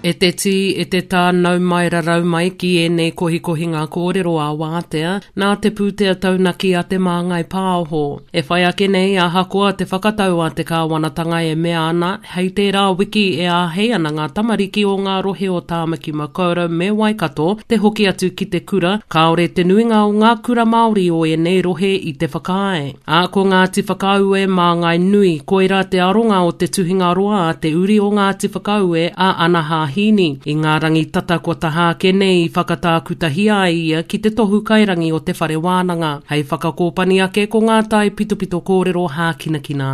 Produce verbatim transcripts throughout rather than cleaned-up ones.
E te tī, e te tā, nau mai rarau mai ki ēnei kohikohinga kōrero a Wātea, nā te pūtea taunaki a Te Māngai Pāho. E whai ake nei, ahakoa te whakatau a te kāwanatanga e mea ana, hei tērā wiki e āhei ana ngā tamariki o ngā rohe o Tāmaki Makaurau me Waikato te hoki atu ki te kura, kāore te nuinga o ngā kura Māori o ēnei rohe i te whakaae. Ā, ko Ngāti Whakaue māngai nui, koirā te aronga o te tuhinga roa a te uri o Ngāti Whakaue a Anaha Hīni. I ngā rangi tata kua taha ake nei i whakatākutahia ai ia ki te tohu kairangi o te whare wānanga. Hei whakakōpani ake ko ngā tai pitopito kōrero hākinakina.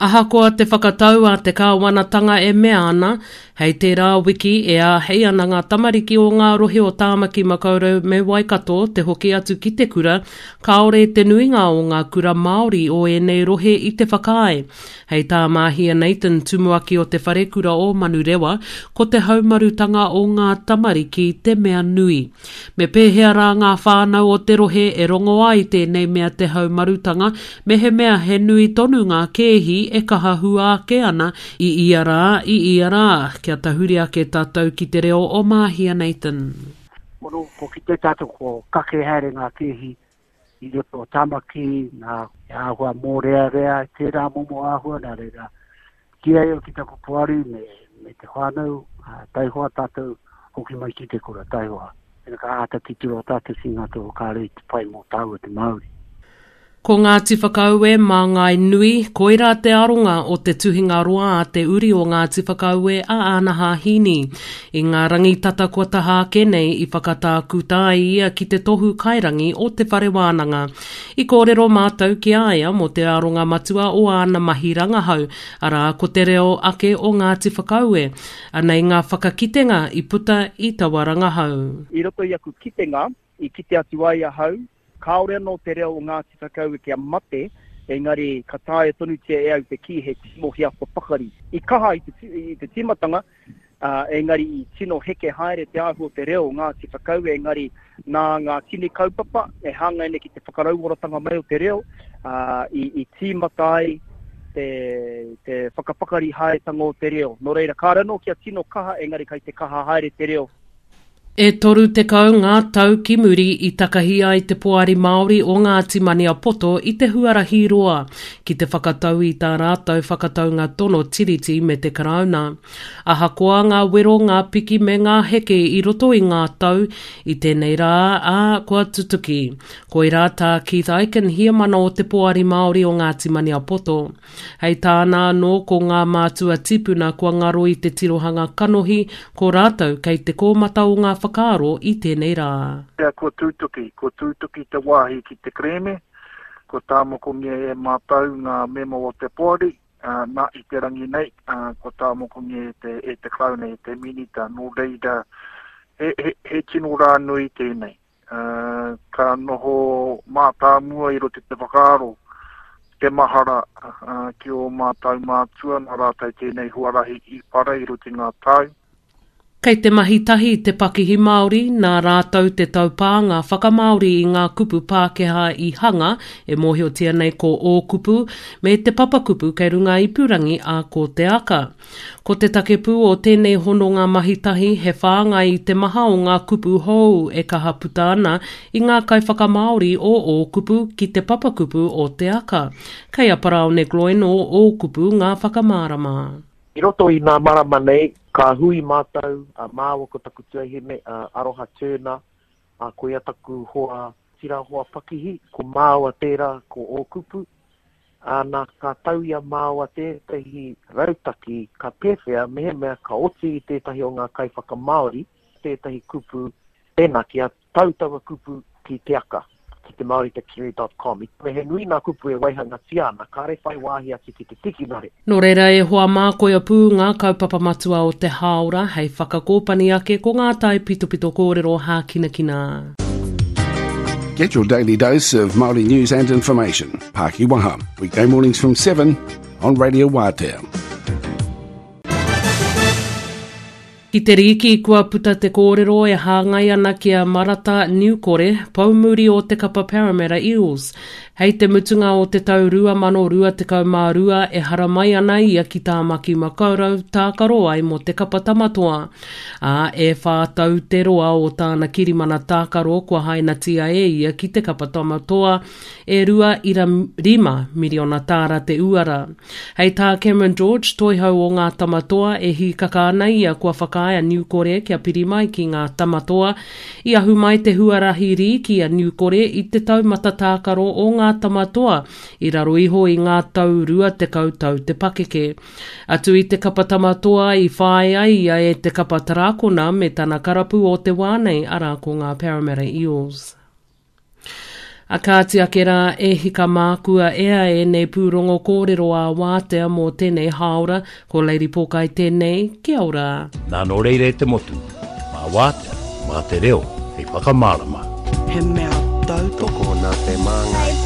Ahakoa te whakatau a te kāwanatanga e mea ana, hei tērā wiki e āhei ana ngā tamariki o ngā rohe o Tāmaki Makaurau me Waikato te hoki atu ki te kura, kāore te nuinga o ngā kura Māori o ēnei rohe i te whakaae. Hei tā Māhia Nathan, tumuaki o te wharekura o Manurewa, ko te haumarutanga o ngā tamariki te mea nui. Me pēhea rā ngā whānau o te rohe e rongo ai tēnei mea te haumarutanga, mehemea he nui tonu ngā kēhi e kaha hua ake ana i ia rā, i ia rā. Kia tahuri ake tātou ki te reo o Māhia Nathan. Mono, ko kite tātou ko kake haere ngā kēhi i roto o Tamaki, ngā āhua mōrearea, tērā momo āhua, nā reira. Ki ai au ki taku poari me, me te whānau, taihoa tātou hoki mai ki te kura, taihoa. Pena ka āta titiro tātou ki ngā tohu kāre i te pai mō tāua te Māori. Ko Ngāti Whakaue mā Ngāi Nui, koirā te aronga o te tuhinga roa a te uri o Ngāti Whakaue a Anaha Hīni. I ngā rangi tata kua taha ake nei i whakatākuta ai ia ki te tohu kairangi o te whare wānanga. I kōrero mātou ki a ia mō te aronga matua o āna mahi rangahau, arā ko te reo ake o Ngāti Whakaue. Anei ngā whakakitenga i puta i taua rangahau. I roto i aku kitenga, i kite atu ai ahau, kāore anō te reo o Ngāti Whakaue kia mate, engari ka taea tonutia e au te kī he tino hiako pakari. I kaha i te, i te tīmatanga, uh, engari i tino heke haere te āhua o te reo o Ngāti Whakaue, engari nā ngā tini kaupapa e hāngai nei ki te whakarauoratanga mai o te reo, uh, i, i tīmata ai te, te whakapakari haeretanga o te reo. Nō reira, kāre anō kia tino kaha, engari kai te kaha haere te reo. E toru tekau ngā tau ki muri i takahi ai te Poari Māori o Ngāti Maniapoto i te huarahi roa ki te whakatau i tā rātou whakataunga tono tiriti me te Karauna. Ahakoa ngā wero, ngā piki me ngā heke i roto i ngā tau i tēnei rā, ā, kua tutuki. Koirā tā Keith Ikin, heamana o te Poari Māori o Ngāti Maniapoto. Hei tāna anō ko ngā mātua tipuna kua ngaro i te tirohanga kanohi, ko rātou kei te kōmata o ngā whakaaro i tēnei rā. Pea kua tūtuki, kua tūtuki te wāhi ki te kerēme, kua tāmokongia e mātou ngā mema o te poari, nā i te rangi nei, kua tāmokongia e te, e te Karauna, e te Minita, nō reira, he, he, he tino rā nui tēnei. Uh, ka noho mātāmua i roto i te whakaaro, te mahara uh, ki o mātou mātua, nā rātou tēnei huarahi i para i roto i ngā tau. Kei te mahi tahi te pakihi Māori, nā rātou te taupānga whakamāori i ngā kupu Pākehā i hanga, e mōhiotia nei ko Ōkupu, me te papakupu kei runga ipurangi a Ko Te Aka. Ko te take pū o tēnei hononga mahi tahi he whāngai i te maha o ngā kupu hou e kaha puta ana i ngā kaiwhakamāori o Ōkupu ki te papakupu o Te Aka. Kei a Paraone Gloyne o Ōkupu ngā whakamārama. I roto i ngā marama nei, ka hui mātou, a māua ko taku tuahine, a Aroha Turner, a ko ia taku hoa, tira hoa pakihi, ko māua tērā, ko Ōkupu. Ana, ka tau i a māua tētahi rautaki, ka pēwhea, mehemea ka oti i tētahi o ngā kaiwhakamāori, tētahi kupu, tēnā, kia tau taua kupu ki Te Aka, ki te Māori Dictionary dot com. Me he nui ngā kupu e waihangatia ana, kāre whai wāhi atu ki te tikinare. Nō reira e hoa mā koia pū ngā kaupapa matua o te hāora hei whakakōpani ake ko ngā tai pitopito kōrero hākinakina. Get your daily dose of Māori news and information. Pākiwaha, weekday mornings from seven on Radio Wātea. Ki te rīki kua puta te kōrero e hāngai ana ki a Marata Niukore, poumuri o te kapa Parramatta Eels. Hei te mutunga o te tau rua mano rua tekau mā rua e haramai ana ia ki Tāmaki Makaurau tākaro ai mō te kapa Tamatoa. Ā, e whā tau te roa o tāna kirimana tākaro kua hainatia e ia ki te kapa Tamatoa e rua ira rima miriona tāra te uara. Hei tā Cameron George, toihau o ngā Tamatoa, e hīkaka ana ia kua whakaae a Niukore kia piri mai ki ngā Tamatoa. I ahu mai te huarahi rīki a Niukore i te taumata tākaro o ngā Tamatoa i raro iho i ngā tau rua tekau tau te pakeke. Atu i te kapa Tamatoa i whāia ia e te kapa Tarakona me tana karapu o te wā nei, arā ko ngā Parramatta Eels. A kāti ake rā e hika mākua ea ēnei pūrongo kōrero ā wātea mō tēnei hāora, ko Lady Pōkai tēnei, kia ora. Nā nō reira e te motu, mā wātea, mā te reo, hei whakamārama. He mea tautoko nā Te Māngai.